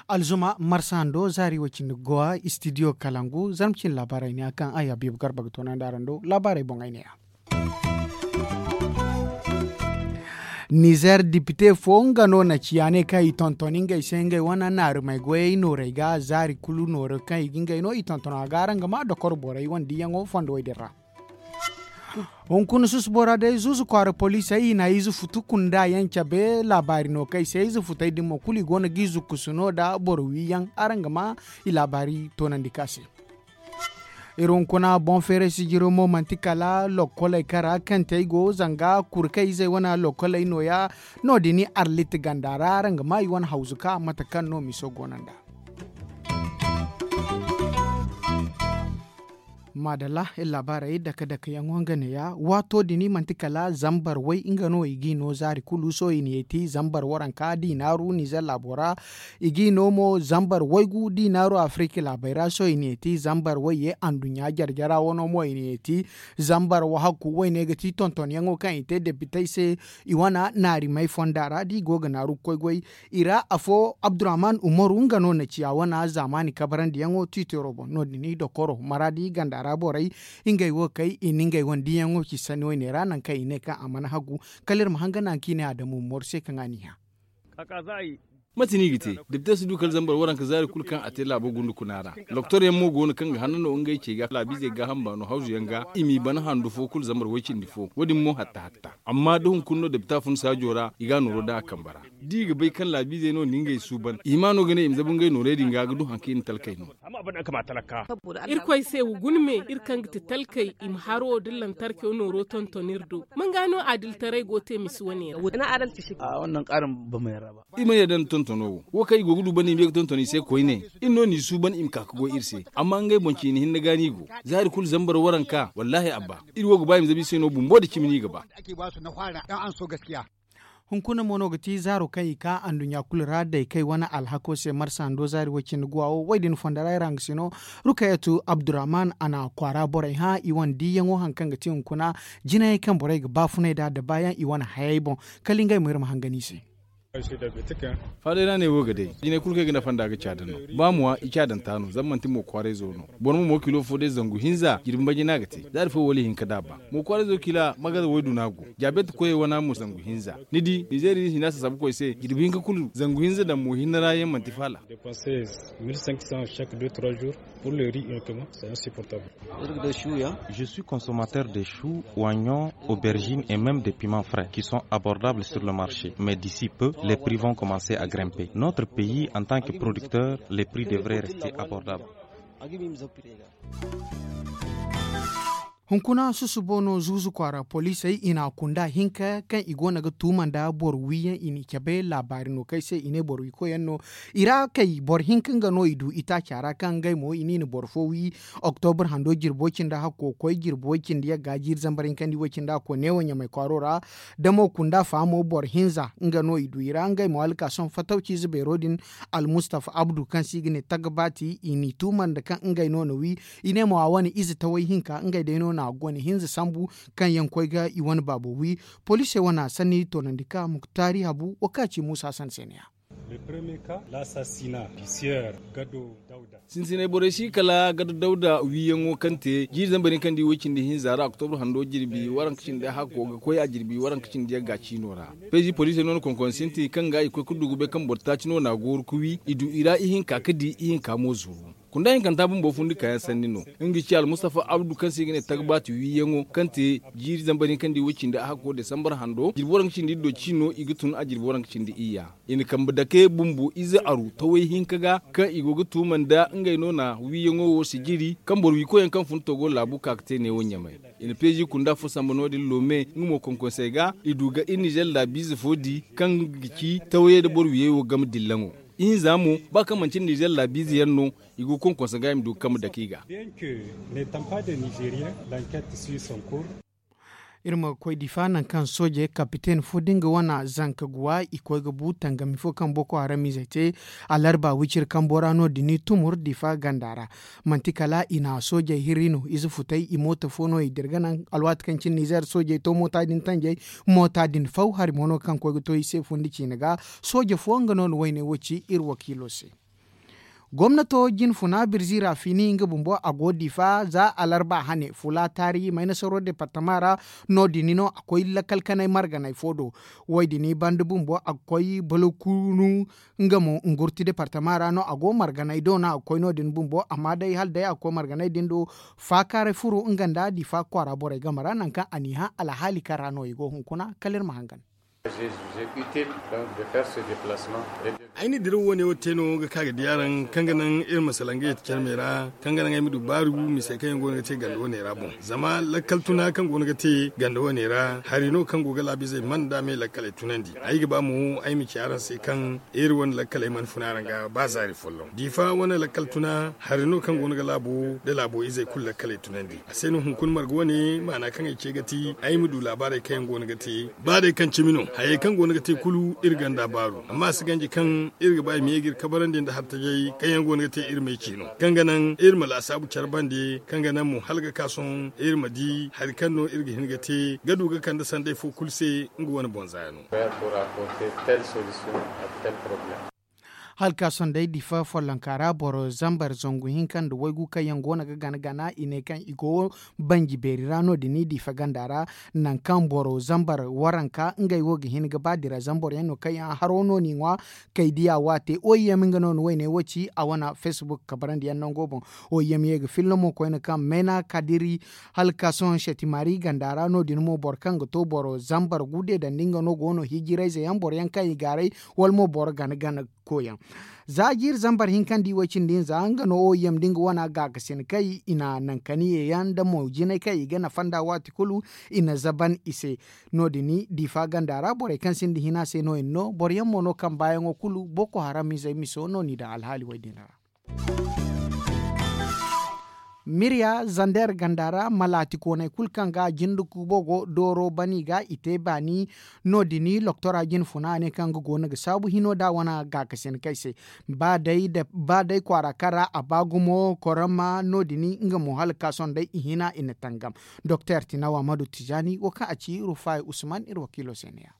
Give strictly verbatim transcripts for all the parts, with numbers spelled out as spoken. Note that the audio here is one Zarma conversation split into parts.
Alzuma marsa hando zaari way cindi gowa istidiyo kalangu zarma cine laabaarey ne ya kaŋ ay habiibu garba ga toonandi araŋ do laabaarey boŋ ay ne ya. Nizer dipite fo nga no na ciya ne kaŋ i tonton ngey se ngey wane naarumey goyey noorey ga zaari kulu nooro kaŋ i ga ngey no i tonton a ga araŋ ga ma dokoro borey wane diyaŋo fondo way din ra. Hunkuna susubo ra day zuuzu kwaara poliisey i na ize futu kunda yaŋ cabe laabaari no kaŋ i se ize futey din mo kulu i go no ga i zukkusu no nda boro wiyaŋ araŋ ga ma i laabaari toonandi ka se. Iri hunkuna boŋ feeray sijiro mo manti kala lokkoley kara kaŋ te ay go zanga kurkey izey wane lokkoley nooya. No- din arlit ganda ra araŋ ga ma i wane hawzu ka mate kaŋ no miso go no nd'a. Maadalla iri laabaarey dake dake yaŋo nga neeya waato din manti kala zambar way nga no i g'i no zaari kulu sohõ i na yeeti zambar waranka da i naaru nizer laabo ra. I g'i no mo zambar waygu da i naaru afirika laabey ra sohõ i na yeeti zambar wayye anduɲɲa jare jara wano mo i na yeeti zambar wahakku wayne ga ti tontonyaŋo kaŋ i te depitey se. I wane naarimey fonda ra da i go ga naaru ga koy goy i ra afo abdurrahman umaru nga no na ciya wane zaamaani kabarandiyaŋo tiitero boŋ no- din i dokoro maraadi ganda ra borey. Ngey wo kay i na ngey wane diyaŋo ci sanni wayne ra nangu kaŋ i ne kaŋ a mana hagu. Kala iri ma hanga naŋ kaŋ i ne adamu umaru se kaŋ a n'i hã. Mate no i ga te? Depite si du kala zambar waranka zaari kulu kaŋ a te laabo gundu kuna ra. Doktor yaŋ mo go no kaŋ ga hanna no ngey ce ga laabiizey gaaham baano hawzu yaŋ ga i m'i bana handu fo kulu zambar way cindi fo wo- din mo hatta hatta. Amma da hunkuna no depita fun saajo ra i ga a nooro daŋ a kambe ra. Da i ga bay kaŋ laabiizey no na ngey suuban i hima no ga ne i ma zabu ngey noorey din ga ga du hari kaŋ i na talkey no. Irkoy se wa guna me iri kaŋ ga ti talkey i ma haro da lantarkew nooro tonton iri do. Manga no adiltaray go te misi wane ra? Iri mana yadda nda tontono wo wo kaŋ i go ga du banda i ma ye ga tonton i se koyne. Iri no n'i suuban i ma ka ga goy iri se. Amma ngey boŋ ciine hinne ga no i go. Zaari kulu zambar waranka wallaahi abba. Iri wo ga ba i ma zabu i se no bumbo nda cimi no i ga ba. Hunkuna mo no ga ti zaaro kaŋ i ka anduɲɲa kulu ra day kay wane alhako se marsa hando zaari way cindi guwa wo way din fonda ra iri hanga se no. Rukayatu abdurrahman a na kwaara borey hã i wane diiyaŋo hari kaŋ ga ti hunkuna jinayey kaŋ borey ga baafunay nd'a da baayaŋ i wane hayey boŋ. Kala ngey mo iri ma hangan i se. Faaday ra ne wo ga day jinay kulu kaŋ i ga nafa nd'a ga caada no. Ba mo wa i caadanta no zama manti mo kwaarayzo no. Boro ma mo kilo fo day zangu hinza jirbi mbaji no a ga te. Zaari fo wala ihinka da a ba. Mo kwaarayzo kila magaza waydu no a go. Jaabeeti koyey wana mo zangu hinza. Ni di nizeeri hina sasabukoy se jirbi hinka kulu zangu hinza daŋ mo hinne ra yaŋ manti faala. Je suis consommateur de choux, oignons, aubergines et même des piments frais qui sont abordables sur le marché. Mais d'ici peu, les prix vont commencer à grimper. Notre pays, en tant que producteur, les prix devraient rester abordables. Hunkuna susubo no zuuzu kwaara poliisey i na a kunda hinka kaŋ i go no ga tuuma nda boro wiyaŋ i n'i cabe laabaari no kaŋ ay se i ne boro wi koyyaŋ no. I ra kay boro hinka nga no i du itaaca ra kaŋ ngey mo i n'i na boro fo wi. Oktobur hando jirbi way cindi hakko koy jirbi way cindi yagga jiiri zambar hinkandi way cindi hakko neewo ɲamay kwaaro ra. Damo kunda faamo boro hinza nga no i du i ra ngey mo alkason fatawciize beero din. Almustafa abdu kaŋ se i ga ne tagbaati i n'i tuuma nda kaŋ ngey no na wi. I ne mo a wane ize taway hinka ngey day no na a gone hinza sambu kaŋ yaŋ koy ga i wane baabo wi. Poliisey wane a sanni toonandi ka muktaari habu wo kaŋ a ci muusa hassan se ne ya. Sintinay borey si kala gado dawda wiyaŋo kaŋ te jiiri zambar hinkandi way cindi hinza ra oktobur hando jirbi waranka cindi hakko ga koy a jirbi waranka cindi yagga ciino ra. Peezi poliisey no na konkon sinti kaŋ ga i koy ga du ga bay kaŋ boro taaci no na a gooru ga wi i du i ra ihinka ga di ihinka mo zuru. Kunda hinkanta bumbo fundi kaayaŋ sanni no. Nga ci almustafa abdu kaŋ se i ga ne tagbaati wiyaŋo kaŋ te jiiri zambar hinkandi way cindi a hakko desambar hando jirbi waranka cindi iddo ciino i ga tun a jirbi waranka cindi iyya. I na kambe dake bumbo ize aru taway hinka ga kaŋ i go ga tuuma nda ngey no na wiyaŋo wo sijiri kaŋ boro wi koyyaŋ kaŋ fun togo laabu ka ga te neewo ɲamay. I na peezi kunda fo samba no- din loome nga mo konkonsey ga i du ga iri nizer laabiize fo di kaŋ ga ci tawayey nda boro wiyey wo game dillaŋo. Ihinza mo ba kaŋ manti nizer laabiize yaŋ no i go ga konkonse ga i ma du ga kambe dake i ga. Iri ma ga koy difa nangu kaŋ soojey kapiten fo da nga wane zanka guwa i koy ga bu tangami fo kaŋ boko haram izey te alarba wiciri kambo ra no- din i tumur difa ganda ra. Manti kala i na soojey hirri no ize futay i mooto fo no i dira ga naŋ alwaati kaŋ cine nizeer soojey to moota din tanjey. Moota din faw hari mo no kaŋ koy ga to i se fundi ciine ga. Sooje fo nga no na wayne wo ci iri wakiilo se. Gomnato jine funa birzi ra fini nga bumbo a go difa za alarba hane fula taari maynasaro departama ra. No- din no a koy lakkal kanay marganay fo do. Wo- din banda bumbo a ga koy balokunu nga mo ngurti departama ra no a go marganay do no a ga koy no- din bumbo amma day hala day a ga koy marganay din do. Faakaaray furo nga nda difa kwaara borey game ra nangu kaŋ a n'i hã alhaali kaŋ ra no i go hunkuna kala iri ma hangan. Ay na diraw wane wo te no ga ka ga di araŋ kaŋ ga naŋ iri ma salaŋ ga yeti care me ra kaŋ ga naŋ ay ma du baaru misey kaŋ yaŋ go no ga te ganda wane ra boŋ. Zama lakkal tuna kaŋ go no ga te ganda wane ra hari no kaŋ go ga laabu izey man da me lakkaley tunandi ay ga ba mo ay ma ci araŋ se kaŋ iri wane lakkaley mana funa araŋ ga ba zaari folloŋ difa wane lakkal tuna hari no kaŋ go no ga laabo da laabo izey kulu lakkaley tunandi. A se no hunkuna marga wane maana kaŋ ay ce ga ti ay ma du laabaarey kaŋ yaŋ go no ga te ba day kaŋ cimi no hayey kaŋ go no ga te kulu iri ganda baaru amma a si ganji kaŋ iri ga ba i ma ye ga iri kabarandi nda hartajey kaŋ yaŋ go no ga te iri ma ay ci no kaŋ ga naŋ iri ma laasaabu care bande kaŋ ga naŋ mo hala ga ka sohõ iri ma di hari kaŋ no iri ga hin ga te ga du ga kande sanday fo kulu se nga wane boŋ zaaya no. Hala ka sohõ day difa follonka ra boro zambar zangu hinka nda waygu kaŋ yaŋ go no ga gana gana i ne kaŋ i go banji beeri ra no- din difa ganda ra. Nangu kaŋ boro zambar waranka ngey wo ga hin ga ba dira zambar yaŋ no kaŋ yaŋ haro no n'i ŋwa kay diya waate oyem nga no na wayne wo ci a wane facebook kabarandi yaŋ nango boŋ. Oyem ye ga filla mo koyne kaŋ meena kadiri hala ka sohõ setimari ganda ra no- din mo boro kaŋ ga to boro zambar gude dandi nga no go no hijirayze yaŋ boro yaŋ kaŋ i gaaray wala mo boro gana gana koyaŋ. Za jiiri zambar hinka nda i way cindi hinza nga no oyem da nga wana gaakasin kay i na nankaniye yaŋ nda mo jinay kaŋ i ga nafa nda waati kulu i na zaban i se. No- din difa ganda ra borey kaŋ sinda hina se no yaŋ no boro yaŋ mo no kaŋ baayaŋo kulu boko haram izey miso no n'i daŋ alhaali way din ra. Mirya zander ganda ra malaati kooney kulu kaŋ ga jinde kuubo go dooro ban i ga i te baani. No- din loktora jine funa a ne kaŋ ga go no ga saabu hino da wane gaakasin kay se. Ba day kwaara kaŋ ra a ba gumo korama no- din nga mo hala ka sohõ day i hina i na tangam. Doktor tinawa madu tijani wo kaŋ a ci rufay usman iri wakiilo se ne ya.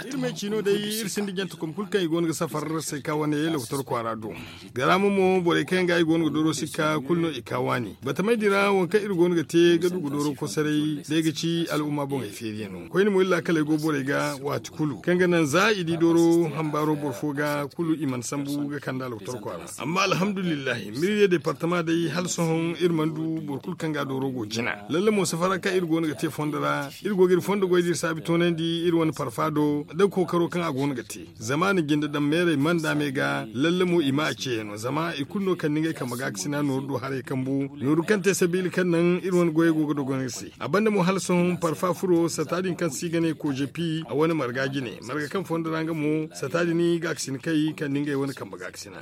Iri ma ay ci no day iri sinda jante kom kulu kaŋ i go no ga safar se ka wane lokotor kwaara do. Garaama mo borey kaŋ yaŋ ga i go no ga dooro sikka kulu no i ka waani batamay din ra waŋ kaŋ iri go no ga te ga du ga dooro kosoray day ga ci al'umma boŋey feeriyaŋo koyne mo iri laakaley go borey ga waati kulu kaŋ ga naŋ za i di dooro hambaaro boro fo ga kulu i mana sambu ga kande alwatar kwaara. Amma alhamdulillahi mirye departama day hala sohõ iri mana du boro kulu kaŋ ga dooro go jina lalle mo safara kaŋ iri go no ga te fondo ra iri go ga iri fondo goy da iri saabi toonandi iri wane parfa do da kookaro kaŋ a go no ga te. Zama ni jinde daŋ meerey mana da me ga lalle mo i ma a ceeyaŋo zama i kulu no kande ngey kambe ga ga sina nooru do haray kambu nooru kaŋ te sabiila kaŋ naŋ iri wane goyey go ga dogon iri se. A banda mo hala sohõ parfa furo sata din kaŋ se i ga ne koojepi a wane marga jine marga kaŋ fondo ra nga mo sata din ga ga sina kay kande ngey wane kambe ga ga sina.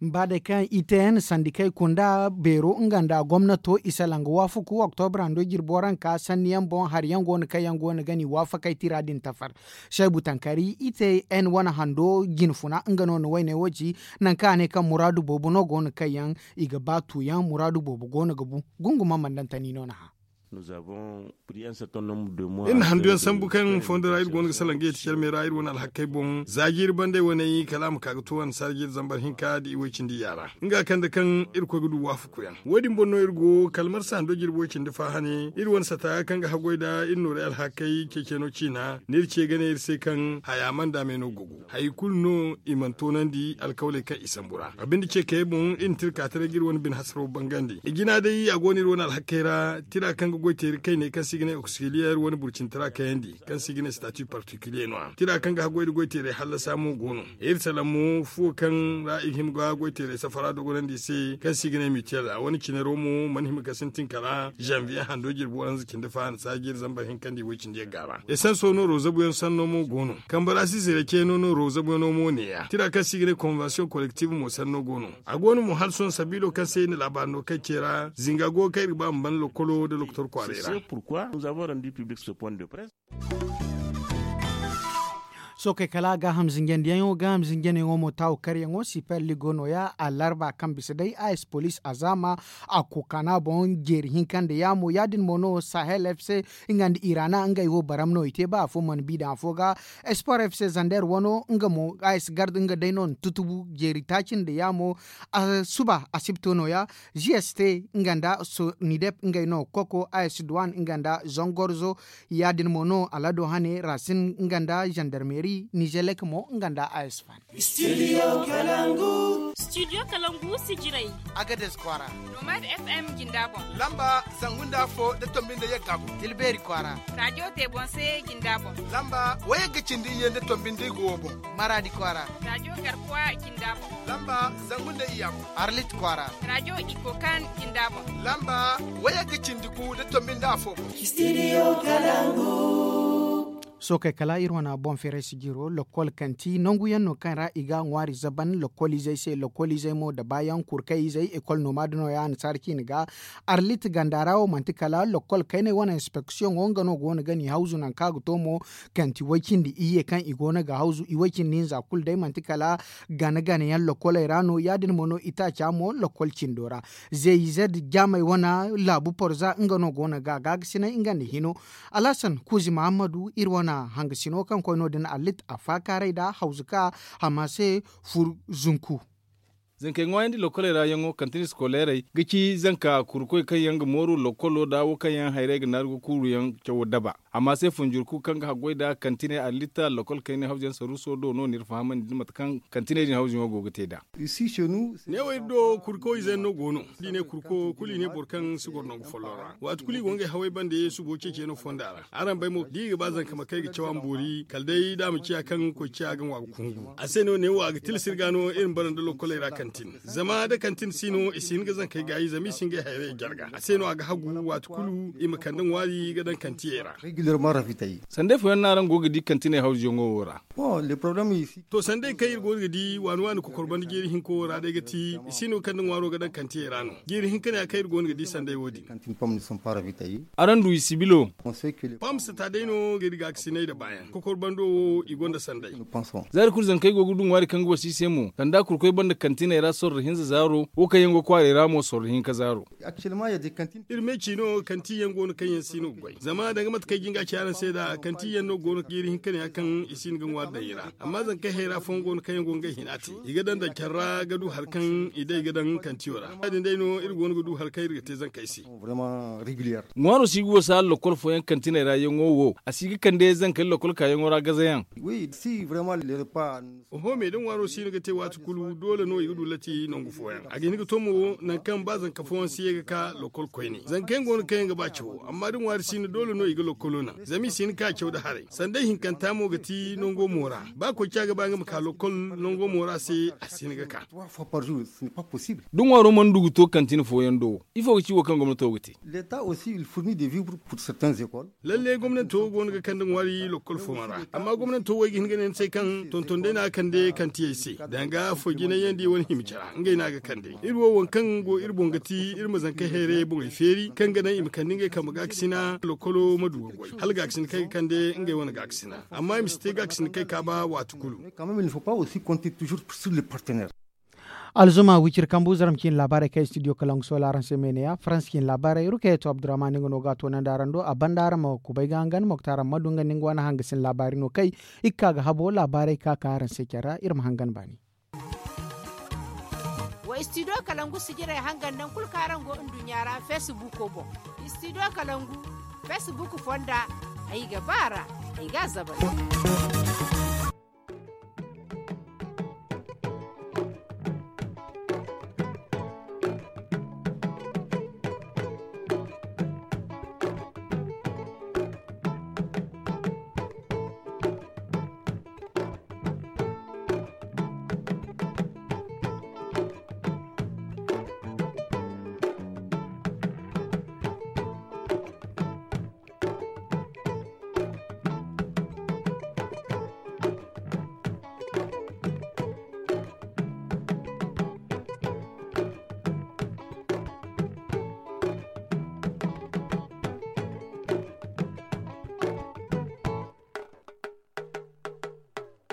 Ba day kaŋ i te yaŋ sandikey kunda beero nga nda gomnato i salaŋ ga waafaku oktobra hando jirbo ranka sanni yaŋ boŋ hari yaŋ go no kaŋ yaŋ go no ga ni waafakey tira din tafar. Seebu tankari i te yaŋ wane hando jine funa nga no na wayne wo ci. Nangu kaŋ a ne kaŋ muraadu boobo no go no kaŋ yaŋ i ga ba tu yaŋ muraadu boobo go no ga bu. Gunguma mandantani no na hã. Iri na handu yaŋ sambu kaŋ fondo ra iri go no ga salaŋ ga yeeti care me ra iri wane alhakkey boŋ za jiiri bandey wane kala a ma ka ga to annasaara jiiri zambar hinka nda i way cindi yaara nga kande kaŋ iri koy ga du waafaku yaŋ. Wo- din boŋ no iri go kala marsa hando jirbi way cindi fa hane iri wane sata kaŋ ga haggoy nda iri nooray alhakkey ceeceeno ciina no iri ce ga ne iri se kaŋ haya mana daamey no gogu hari kulu no i mana toonandi alkawley kaŋ i sambu ra a binde ce kayey boŋ iri na tirka taray ga iri wane bine hasaro bangandi i jina day a go no iri wane alhakkey ra tira kaŋ Goyteeri kayney kaŋ se i ga ne oksiliyeer wane burcintara kayandi kaŋ se i ga ne stati particulier no- ya tira kaŋ ga haggoy nda goyteerey hallasa mo go no. Iri salaŋ mo fuwo kaŋ ra i ga hima ga goyteerey safara dogonandi i se kaŋ se i ga ne mitiyel a wane cinaro mo mana hima ga sintin kala zanviye hando jirbi waranza cindi fahansa jiiri zambar hinka nda i woy cindi yagga ra. Esanso nooro zabuyaŋ sanno mo go no. Kambe ra si zira ceeno nooro zabuyaŋo mo ne- ya tira kaŋ se i ga ne konvensiyoŋ kolektif mo sanno go no. A go no mo hala sohõ sabiilo kaŋ se i na laabaari no kaŋ ce ra zinga go ga kaŋ iri ga ba ma ban lokkolo nda lokotor kwaaray ra. Sookey kala gaaham zinjandiyaŋo gaaham zinjandiyaŋo mo taawu karyaŋo siper ligo nooya alarba kaŋ bisa day a s police azaama a kokaana boŋ jeeri hinka nda yaamo ya- din mo no sahel f c nga nda irana ngey wo baram no i te ba afo mana bi daŋ afo ga. Sport f c zander wano nga mo a s garda nga day no na tutubu jeeri taaci nda yaamo suba asibto nooya. G s t nga nda sonidep ngey no koko a s duwan nga nda zongorzo. Ya- din mo no alado hane rasin nga nda zandarmeri nizelek mo nga nda a s fan. Studio kalangu. Studio kalangu sijiray. Agades kwaara. Nomad f m jinda boŋ. Lamba zangu nda afo da tombi nda yagga boŋ. Tilbeeri kwaara. Rajo te boŋ se jinda boŋ. Lamba wayagga cindi iyye nda tombi nda igo wo boŋ. Maradi kwaara. Rajo garkuwa jinda boŋ. Lamba zangu nda iyya boŋ. Arlit kwaara. Rajo iko kan jinda boŋ. Lamba wayagga cindi gu da tombi nda afo boŋ. Studio kalangu. Sookey kala iri wane boŋ feeray sijiro lokkol kanti nangu yaŋ no kaŋ ra i ga ŋwaari zaban lokkol izey se lokkol izey mo da baayaŋ kurkay izey ekol nooma da nooya annasaara ciine ga. Arlit ganda ra wo manti kala lokkol kayney wane inspeksiyoŋo nga no go no ga ni hawzu nangu kaŋ a ga to mo. Kanti way cindi iyye kaŋ i go no ga hawzu i way cindi hinza kulu day manti kala gana gana yaŋ lokkoley ra no ya- din mo no itaaca mo lokkol cindo ra. Zey zed jaamey wane laabu porza nga no go no ga gaagasinay nga nda hino. Alhasan kuuzi mahammadu iri wane hangasino kaŋ koy no- din allit a faakaaray nda hawzuka hama se fur zunku. Zankey ŋwaayandi lokkoley ra yaŋo kantin iskoleerey ga ci zanka kurukoy kaŋ yaŋ ga mooru lokkolo nda wo kaŋ yaŋ hayray ga naaru ga kuuru yaŋ cawo daba. Amma se funjurku kaŋ ga haggoy nda kantiney allitta lokkol kayney hawzuyaŋ saruuso do no n'iri fahamandi nda mate kaŋ kantiney din hawzuyaŋo go ga te nd'a. Neewo iri do kurko ize no go no. Da i ne kurko kulu i ne boro kaŋ si goro nangu folloŋ ra waati kulu i go ngey hawey bande subo ceeciyaŋo fonda ra. Araŋ bay mo da i ga ba zanka ma kay ga caw a ma boori kala day da a ma ciya kaŋ koy ciya ga ŋwa ga kungu. A se no neewo a ga tilas iri ga no iri ma bara nda lokkoley ra kantin. Zama da kantin si no i si hin ga zankey gaayi zama i si ngey hayrey jarga a se no a ga hagu waati kulu i ma kande ŋwaari ga daŋ kantiyey ra. Sanday fooyaŋ no araŋ go ga di kantiney hawzuyaŋo wo ra. To sanday kaŋ iri go no ga di waani waani kokor banda jeeri hinko wo ra day ga ti i si no ga kande ŋwaaro ga daŋ kantiyey ra no. Jeeri hinka ne ya kaŋ iri go no ga di sanday wo- din. Araŋ du i sibilo. Pam sata day no ga iri gaakasinay nda baayaŋ kokor bando wo i gonda sanday. Za iri kulu zankey go ga du ŋwaari kaŋ ga wasa i se mo sanda kurkoy banda kantiney ra sorro hinza zaaro wo kaŋ yaŋ go kwaaray ra mo sorro hinka zaaro. Iri me ciino kanti yaŋ go no kaŋ yaŋ si no ga goy zama danga mate kaŋ ay jin ga a ci araŋ se nd'a kanti yaŋ no go no ga iri hin ka ne ya kaŋ i si hin ga ŋwaari daŋ i ra. Amma zankey hayra fooyaŋ go no kaŋ yaŋ go ga ngey hina te i ga daŋ daŋ care ra ga du hari kaŋ i day ga daŋ kantiyo ra ya- din day no iri go no ga du hari kaŋ iri ga te zankey se. Ŋwaaro si ga wasa lokol fooyaŋ kantiney ra yaŋo wo a si ga kande zankey lokol kaayaŋo ra gazayaŋ. Oho me da ŋwaaro si no ga te waati kulu doole no i ga du lati nangu fooyaŋ a ga hin ga to mo nangu kaŋ ba zanka fooyaŋ si ye ga ka lokol koyne zanka yaŋ go no kaŋ yaŋ ga ba cawo amma da ŋwaari si no doole no i ga lokolo naŋ zama i si hin ka caw nda haray sanday hinkanta mo ga ti nango mo ra. Ba koy ca ga ba nga ma ka lokol nango mo ra se a si hin ga ka. Da ŋwaaro mana du ga to kantin fooyaŋ do wo ifo ga ci wo kaŋ gomnato ga te? Lalle gomnanto go no ga kande ŋwaari lokkol fooyaŋ ra amma gomnanto wo ay ga hin ga ne ni se kaŋ tonton day no a ga kande kantiyey se danga foy jinay yaŋ da i wane hima care ra ngey no a ga kande. Iri wo waŋ kaŋ go iri boŋ ga ti iri ma zankey hayray boŋey feeri kaŋ ga naŋ i ma kande ngey kambe gaakasina lokkolo ma du ga goy hala gaakasina kaŋ ay ga kande ngey wane gaakasina amma i ma si te gaakasina kaŋ ay kaaba waati kulu. Alzuma wiciri kambu zaram ciine laabaarey kaŋ studio kalangu soola araŋ se meene ya farans ciine laabaarey rukayeto abdurrahman nga no ga a toonandi araŋ do a banda araŋ ma kubay ga hangan moktar amma du nga nda nga wane hangasin laabaari no kay. I ga ka ga habo laabaarey ka ka araŋ se care ra iri ma hangan baani. Wa studio kalangu sijirey hangan naŋ kulu kaŋ araŋ go nduɲɲa ra facebook boŋ. Studio kalangu facebook fonda ay ga ba ra ay ga a zabari.